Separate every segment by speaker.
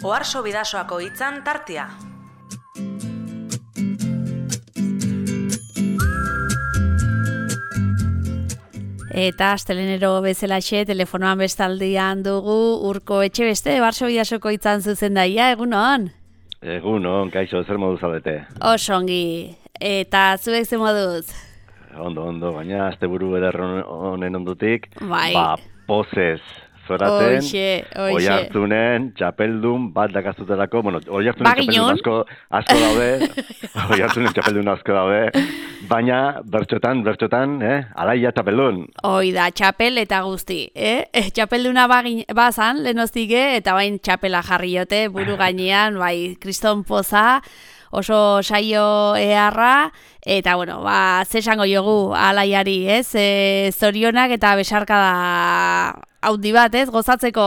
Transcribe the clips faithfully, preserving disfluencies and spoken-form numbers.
Speaker 1: Oarso Bidasoako hitzan tartea.
Speaker 2: Eta astelenero bezalaxe telefonoan bestaldian dugu Urko Etxebeste, Oarso Bidasoko hitzan zuzendaia, egunon?
Speaker 3: Egunon, kaixo, zer moduz zaudete?
Speaker 2: Oso ongi, eta zuek ze moduz?
Speaker 3: Ondo, ondo, baina asteburu eder honen ondutik,
Speaker 2: bai.
Speaker 3: Ba, pozez zoraten,
Speaker 2: Oixe, oixe.
Speaker 3: Oiartzunen, txapeldun bat dakazutelako, bueno, Oiartzunen
Speaker 2: Baginon?
Speaker 3: txapeldun asko, asko daude, Oiartzunen txapeldun asko daude, baina bertxotan, bertxotan, eh, alaia txapeldun.
Speaker 2: Hoi da, txapel eta guzti, eh? Txapelduna bagin, bazan, lehenoztike, eta bain txapela jarriote, buru gainean, bai, kriston poza, oso saio eharra, eta, bueno, ba, zesango jogu alaiari, ez? E, zorionak eta besarkada haundi bat, ez? Gozatzeko.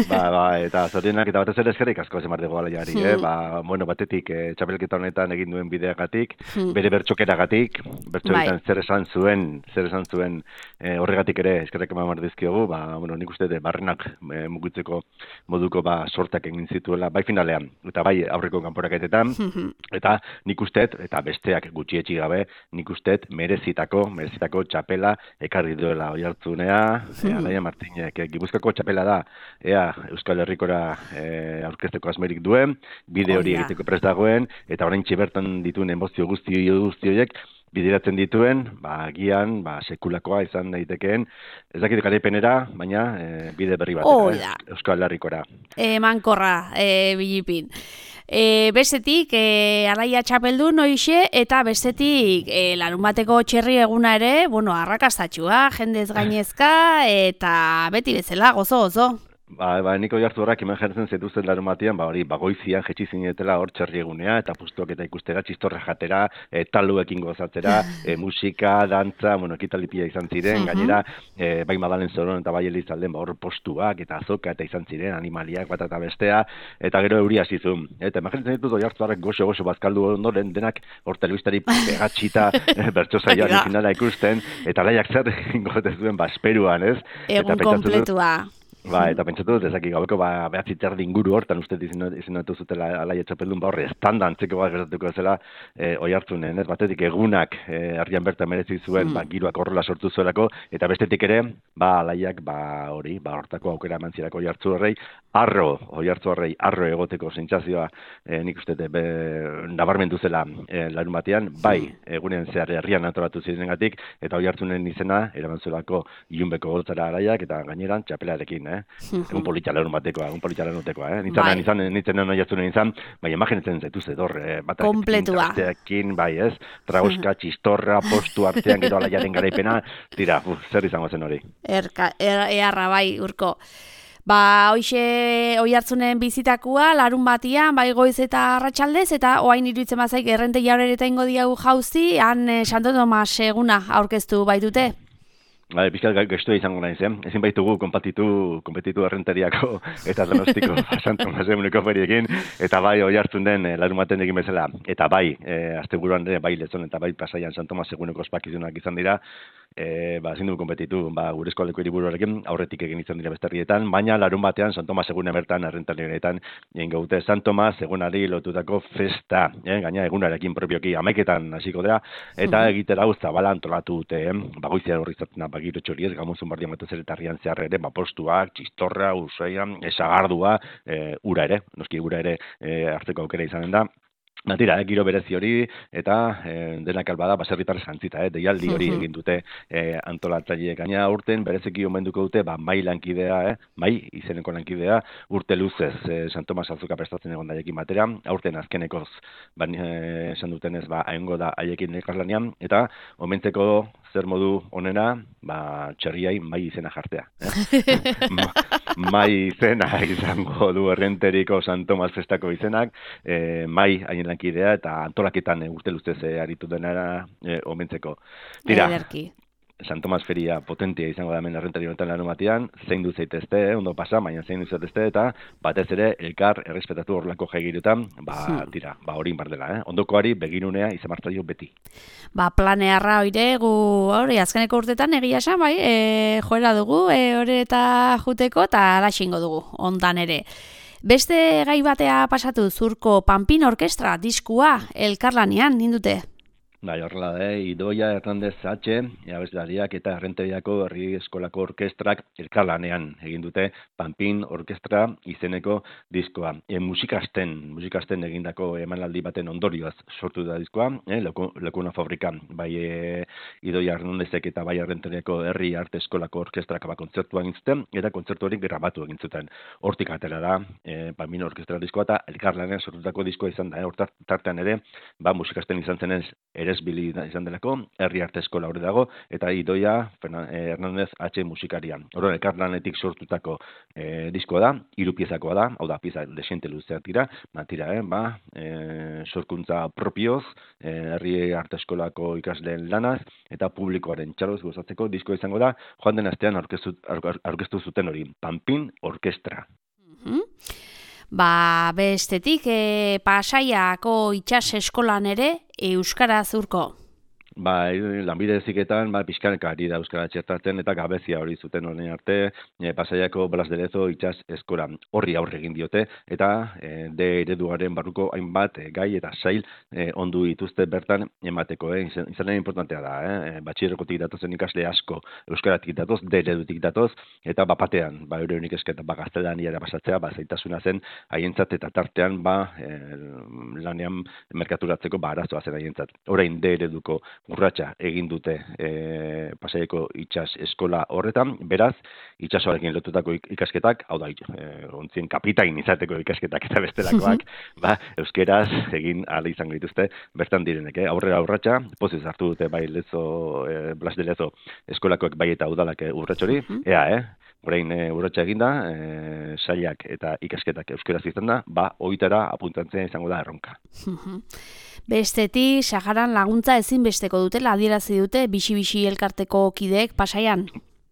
Speaker 3: Ba, ba, eta zorionak eta batez ere eskerrik asko zemar dugu alaiari, hmm. eh? Ba, bueno, batetik, eh, txapelketa honetan egin duen bideagatik, hmm. bere bertxokeragatik, bertxoketan bai. zer esan zuen, zer esan zuen eh, horregatik ere eskerrik eman dizkiogu, ba, bueno, nik uste de barrenak eh, mugitzeko moduko ba, sortak egin zituela, bai finalean, eta bai aurreko kanporaketetan, hmm. eta nik usteet, eta besteak gutxietxi gabe, nik usteet merezitako, merezitako txapela ekarri duela Oiartzunea, hmm. eh, Alaia Martinek, Gipuzkoako txapela da, ea Euskal Herrikora e, aurkezteko asmerik duen, bide hori oh, egiteko prest dagoen, eta oraintxe bertan dituen emozio guzti guztioiek bideratzen dituen, ba, agian, ba, sekulakoa izan daitekeen, ez dakit garaipenera, baina e, bide berri bat,
Speaker 2: oh,
Speaker 3: eh, Euskal Herrikora.
Speaker 2: Emankorra, e, bilipin. E, bestetik, e, alaia txapeldun hoixe, eta bestetik, e, larun bateko txerri eguna ere, bueno, arrakastatxua, jendez gainezka, eta beti bezala, gozo, gozo.
Speaker 3: Ba, ba, niko jartu horrak iman jartzen zetuzten larun batean, ba, hori, bagoizian jetxi zinetela hor txerri egunea, eta pustuak eta ikustera, txistorra jatera, e, taluekin gozatzera, e, musika, dantza, bueno, ekitalipia izan ziren, uh-huh. gainera, e, bai Madalen Zoron eta bai Elizalden, ba, hor postuak eta azoka eta izan ziren, animaliak bat eta bestea, eta gero euria zizun. Eta iman jartzen ditut oiartu horrek goxo-goxo bazkaldu ondoren, denak hor telebistari pegatxita bertxo zaioan finala ikusten, eta laiak zer gogote zuen, ba, esperuan, ez?
Speaker 2: Egun kompletua.
Speaker 3: Ba, eta pentsatu dut, ezakik gabeko, ba, behatzi terdi inguru hortan uste izinatu zutela alaia txapeldun, ba, horre, estanda antzeko bat gertatuko zela e, Oiartzunen, ez? Batetik egunak e, argian bertan merezi zuen, mm. ba, giroak horrela sortu zuelako, eta bestetik ere, ba, alaiak, ba, hori, ba, hortako aukera eman zirako Oiartzu horrei, arro, Oiartzu horrei, arro egoteko sentsazioa, e, nik uste, be, nabarmendu zela e, larun batean, bai, egunen zehar herrian antolatu zirengatik, eta Oiartzunen izena, eraman zuelako ilunbeko gotzara alaiak, eta gaineran txapelarekin, eh? Un politxalarun batekoa, un politxalarun batekoa, eh? Nintzen, bai. nintzen, nintzen, nintzen, nintzen, bai, imaginatzen zaituz edor, eh?
Speaker 2: Kompletua.
Speaker 3: Batekin, bai, ez? Tragoska, txistorra, postu artean, gero alaiaren garaipena, tira, uf, zer izango zen hori.
Speaker 2: Erka, er, earra, bai, Urko. Ba, hoixe Oiartzunen bizitakua, larun batian, bai goiz eta arratsaldez, eta oain iruditzen bazaik errente jaurereta ingo diagu jauzi, han eh, Santo Tomas eguna aurkeztu baitute.
Speaker 3: Bai, pixkat gaiztua izango naiz, eh? Ezin baitugu konpatitu, konpetitu errenteriako eta donostiko Santo Tomas eguneko feriekin, eta bai Oiartzun den larun baten egin bezala, eta bai, e, asteburuan ere, bai Lezon eta bai Pasaian Santo Tomas eguneko ospakizunak izan dira, e, ba, ezin dugu konpetitu, ba, gure eskoleko hiriburuarekin aurretik egin izan dira besterrietan, baina larun batean Santo Tomas eguna bertan errenterietan egin gaute Santo Tomas egunari lotutako festa, eh? Gaina egunarekin propioki amaiketan hasiko dira, eta uh-huh. egitera hau zabala antolatu dute, eh? Bagoizia horri zaten bagiro txoriez, gamuzun bardian batez ere tarrian zehar ere, bapostuak, txistorra, usaian, esagardua, e, ura ere, noski ura ere e, hartzeko aukera izanen da. Natira, eh, giro berezi hori, eta eh, denak albada baserritar jantzita, eh, deialdi hori egin dute eh, antolatzaileek. Gaina urten bereziki omenduko dute, ba, mai lankidea, eh, mai izeneko lankidea, urte luzez eh, San Tomas Azuka prestatzen egon daiekin batera, aurten azkenekoz, ba, eh, esan dutenez, ba, haingo da haiekin elkarlanean, eta omentzeko zer modu onena, ba, txerriai mai izena jartea. Eh? Ma, mai izena izango du errenteriko San Tomas festako izenak, eh, mai haien lankidea eta antolaketan e, urte luzez e, aritu denara e, omentzeko. Tira,
Speaker 2: Ederki.
Speaker 3: San Tomas feria potentia izango da hemen errentari honetan larun batean, zein du zaitezte, eh, ondo pasa, baina zein du zaitezte, eta batez ere elkar errespetatu horrelako jaigirutan, ba, hmm. tira, ba hori inbardela, eh? Ondokoari begirunea izan martzaio beti.
Speaker 2: Ba, planearra oire, gu, hori, azkeneko urtetan egia esan, bai, e, joera dugu, e, hori eta juteko, eta alaxingo dugu, ondan ere. Beste gai batea pasatu zurko Panpin Orkestra diskua elkarlanean nindute.
Speaker 3: Bai, horrela da, Idoia Hernandez H, abeslariak eta Errenteriako Herri Eskolako Orkestrak elkarlanean egin dute Panpin Orkestra izeneko diskoa. E, musikasten, musikasten egindako emanaldi baten ondorioaz sortu da diskoa, e, Lekuna Fabrika, bai e, Idoia Hernandezek eta bai Errenteriako Herri Arte Eskolako Orkestrak ba, kontzertua egin zuten, eta kontzertu hori grabatu egin zuten. Hortik atera da, e, Panpin Orkestra diskoa eta elkarlanean sortutako diskoa izan da, e, hortat, tartean ere, ba, musikasten izan zenez, eresbili izan delako, Herri Arte Eskola hori dago, eta Idoia Hernandez H musikaria. Horren, elkarlanetik sortutako e, diskoa da, hiru piezakoa da, hau da, pieza desente luzeak dira, tira, eh, ba, e, sorkuntza propioz, e, Herri Arte Eskolako ikasleen lanaz, eta publikoaren txaloz gozatzeko diskoa izango da, joan den astean aurkeztu, aurkeztu zuten hori, Panpin Orkestra.
Speaker 2: Mm-hmm. Ba, bestetik, e, Pasaiako itsas eskolan ere euskara zurko.
Speaker 3: Ba, lanbide heziketan, ba, pixkaneka ari da euskara txertatzen eta gabezia hori zuten honen arte, e, Pasaiako Blas de Lezo itsas eskola horri aurre egin diote, eta e, de ereduaren barruko hainbat e, gai eta sail e, ondu dituzte bertan emateko, eh? Izan, izanen importantea da, eh? Batxilergotik datozen ikasle asko euskaratik datoz, de eredutik datoz, eta bapatean, ba, euren ikasketa, ba, gaztelaniara pasatzea, ba, zaitasuna zen haientzat eta tartean, ba, e, lanean merkaturatzeko, ba, arazoa zen haientzat. Orain de ereduko urratsa egin dute e, Pasaiako itsas eskola horretan, beraz, itsasoarekin lotutako ikasketak, hau da, e, ontzien kapitain izateko ikasketak eta bestelakoak, ba, euskeraz egin ala izango dituzte bertan direnek, eh? Aurrera urratsa, poziz hartu dute bai Lezo, e, Blas de Lezo eskolakoek bai eta udalak urratxori, ea, eh? Orain e, urratsa eginda, e, sailak eta ikasketak euskeraz izan da, ba, oitara apuntatzen izango da erronka.
Speaker 2: Bestetik, Saharan laguntza ezinbesteko dutela adierazi dute bixi-bixi elkarteko kideek Pasaian.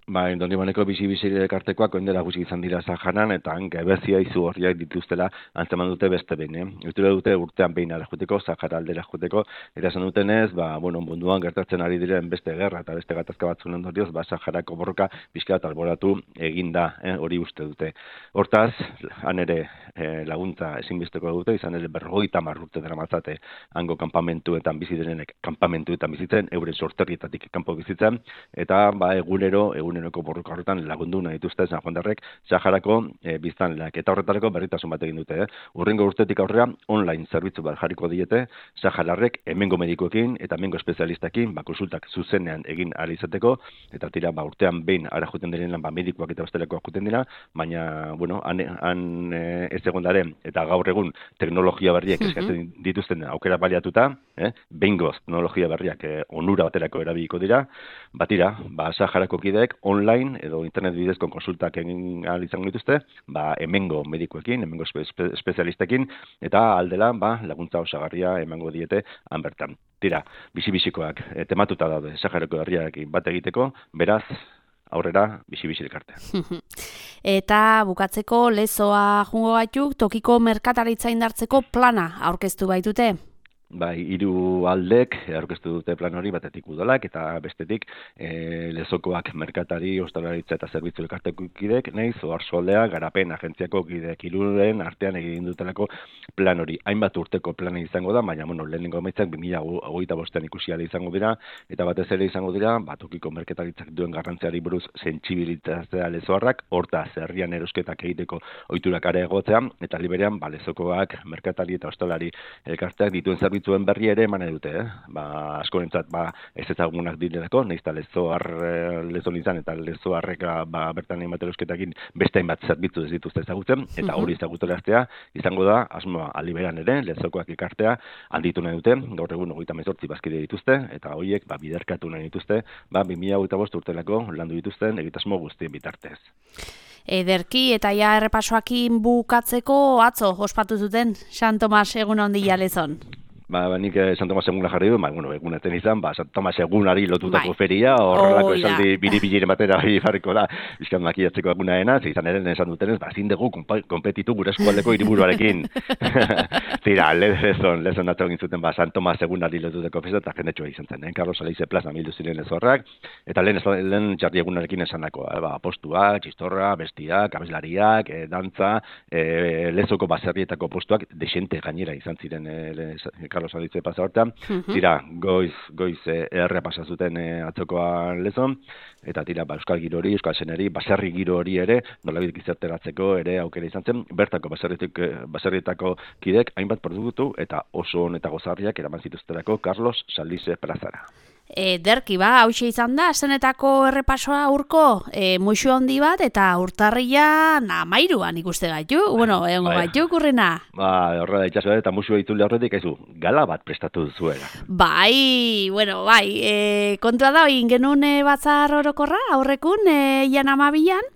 Speaker 3: Ba, Dondibaneko bizi-bizi elkartekoak oindela gutxi izan dira Saharan, eta gebezia izu horriak dituztela antzeman dute beste behin. Eh? Eutura dute urtean behin ara juteko, Sahara aldera juteko, eta esan dutenez, ba, bueno, munduan gertatzen ari diren beste gerra eta beste gatazka batzun ondorioz, ba, Saharako borroka pixka eta alboratu eginda, eh? Hori uste dute. Hortaz, han ere eh, laguntza ezinbesteko dute, izan ere berrogeita hamar urte dara matzate, hango kanpamentuetan bizi direnek kanpamentuetan bizitzen, euren sorterrietatik kanpo bizitzen, eta ba, egunero, egun eguneroko borroka horretan lagundu nahi dituzte San Juandarrek Saharako e, biztanleak. Eta horretarako berritasun bat egin dute. Eh? Urrengo urtetik aurrera online zerbitzu bat jarriko diete Sahararrek hemengo medikuekin eta hemengo espezialistakin ba, konsultak zuzenean egin ahal izateko, eta tira ba, urtean behin ara juten direnean ba, medikuak eta bestelakoak juten dira, baina bueno, han, han e, ez egondaren eta gaur egun teknologia berriak eskatzen dituzten aukera baliatuta, eh? Behingoz teknologia berriak e, onura baterako erabiliko dira, batira, ba, Saharako kideek online edo internet bidezko konsultak egin ahal izango dituzte, ba, hemengo medikuekin, hemengo espe, espe, espezialistekin, eta aldela ba, laguntza osagarria emango diete han bertan. Tira, bizi-bizikoak e, tematuta daude Saharako herriarekin bat egiteko, beraz, aurrera bizi-bizi elkartea.
Speaker 2: Eta bukatzeko Lezoa jungo gaituk tokiko merkataritza indartzeko plana aurkeztu baitute.
Speaker 3: Bai, hiru aldek aurkeztu dute plan hori, batetik udalak eta bestetik e, Lezokoak merkatari, ostalaritza eta zerbitzu elkarteko kideek, nahiz Oarsoaldea garapen agentziako kideek hiruren artean egin dutelako plan hori. Hainbat urteko plana izango da, baina bueno, lehenengo emaitzak bi mila hogeita bostean ikusi ahal izango dira, eta batez ere izango dira, batokiko merkataritzak duen garrantziari buruz sentsibilitatea Lezoarrak, hortaz herrian erosketak egiteko ohiturak areagotzea, eta liberean ba, Lezokoak merkatari eta ostalari elkarteak dituen zerbitzu zuen berri ere eman dute, eh? Ba, askorentzat ba, ez ezagunak direlako, nahiz eta Lezoar Lezon izan eta Lezoarrek ba, bertan hainbat erosketakin beste hainbat zerbitzu ez dituzte ezagutzen, eta hori ezaguteraztea izango da, asmoa aliberan ere, Lezokoak ikartea handitu nahi dute, gaur egun hogeita hemezortzi bazkide dituzte, eta horiek ba, biderkatu nahi dituzte, ba, bi mila hogeita bost urtelako landu dituzten egitasmo guztien bitartez.
Speaker 2: Ederki eta ja errepasoakin bukatzeko atzo ospatu zuten San Tomas egun handia Lezon.
Speaker 3: ba, ba nik eh, San Tomas eguna jarri du, ba, bueno, egunetan izan, ba, San Tomas egunari lotutako
Speaker 2: bai.
Speaker 3: feria, horrelako
Speaker 2: Oh,
Speaker 3: esaldi biri-biliren batera bai jarriko da, bizkan makiatzeko egunaena, izan eren esan dutenez, ba, ezin dugu konpetitu gure eskualdeko hiriburuarekin. Zira, lezon, lezon atzo egin zuten, ba, San Tomas egunari lotutako festa, eta jendetxoa izan zen, eh? Carlos Alaize plaza mildu ziren ezorrak, eta lehen, lehen jarri egunarekin esanako, eh? Ba, postuak, txistorra, bestiak, abeslariak, eh, dantza, eh, lezoko baserrietako postuak, desente gainera izan ziren eh, Carlos Alaize plaza hortan, tira, goiz, goiz eh, errea pasa zuten eh, atzokoan lezon, eta tira, ba, euskal giro hori, euskal zeneri, baserri giro hori ere, nolabait gizarteratzeko ere aukera izan zen, bertako baserrietako kidek hainbat produktu eta oso on eta gozarriak eraman zituzterako Carlos Salize plazara.
Speaker 2: E, derki ba, hauxe izan da, zenetako errepasoa urko, e, muixu handi bat, eta urtarria namairuan ikuste gaitu, bueno, egon
Speaker 3: Bai.
Speaker 2: gaitu kurrena.
Speaker 3: Ba, horra da itxaso eta musu ditule horretik, aizu, gala bat prestatu duzuela.
Speaker 2: Bai, bueno, bai, e, kontua da, egin genuen e, batzar orokorra, aurrekun, e, ian amabilan,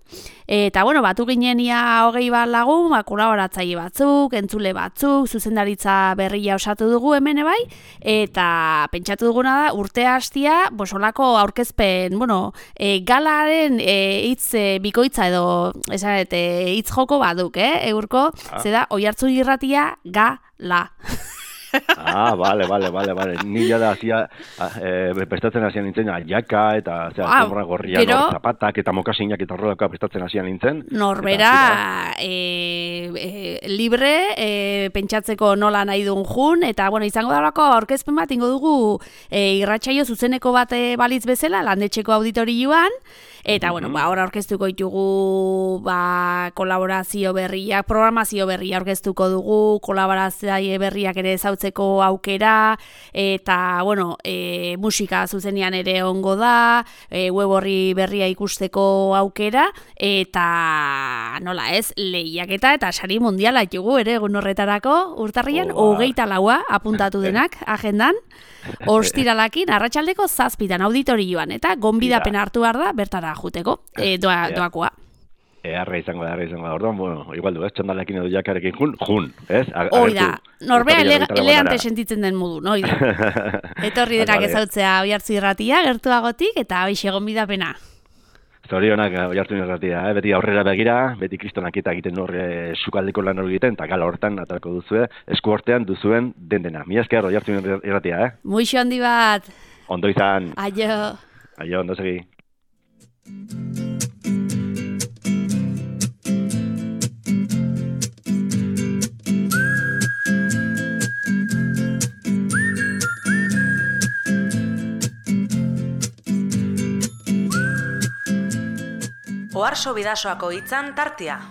Speaker 2: eta, bueno, batu ginen ia hogei bat lagun, ba, kolaboratzaile batzuk, entzule batzuk, zuzendaritza berria osatu dugu hemen bai, eta pentsatu duguna da, urtea hastia, bosolako aurkezpen, bueno, e, galaren e, hitz e, bikoitza edo, esan, e, hitz joko baduk, eh, eurko, ah. Zeda, Oiartzun irratia gala.
Speaker 3: Ah, vale, vale, vale, vale. Ni ja da hacía eh prestatzen hasian nintzen jaka eta zea
Speaker 2: ah,
Speaker 3: zomra gorria
Speaker 2: pero,
Speaker 3: nor zapatak eta mokasinak eta horrelako prestatzen hasian nintzen.
Speaker 2: Norbera e, e, libre e, pentsatzeko nola nahi duen jun eta bueno, izango dalako aurkezpen bat ingo dugu e, irratsaio zuzeneko bat e, balitz bezala landetxeko auditorioan. Eta, bueno, ba, hor aurkeztuko ditugu ba, kolaborazio berriak, programazio berria aurkeztuko dugu, kolaborazio berriak ere ezautzeko aukera, eta, bueno, e, musika zuzenean ere ongo da, e, web horri berria ikusteko aukera, eta, nola ez, lehiaketa eta sari mundiala ditugu ere egun horretarako, urtarrian, oh, hogeita laua apuntatu denak, agendan, ostiralakin, arratsaldeko zazpitan auditorioan, eta gonbidapen hartu behar da, bertara juteko, e, doa, doakoa.
Speaker 3: Earra izango da, earra izango da. Orduan, bueno, igual du, ez, txandalekin edo jakarekin jun, jun, ez?
Speaker 2: Hoi da, norbea eleante sentitzen den modu, no? Etorri denak ezautzea Oiartzun irratia, gertuagotik, eta hoixe gonbidapena.
Speaker 3: Zorionak Oiartzun irratia, eh? Beti aurrera begira, beti kristonak eta egiten horre sukaldeko lan hori egiten, eta gala hortan atarako duzue, esku hortean duzuen den dena. Mila esker Oiartzun irratia, eh?
Speaker 2: Muixo handi bat.
Speaker 3: Ondo izan.
Speaker 2: Aio.
Speaker 3: Aio, ondo segi.
Speaker 1: Oarso Bidasoako hitzan tartea.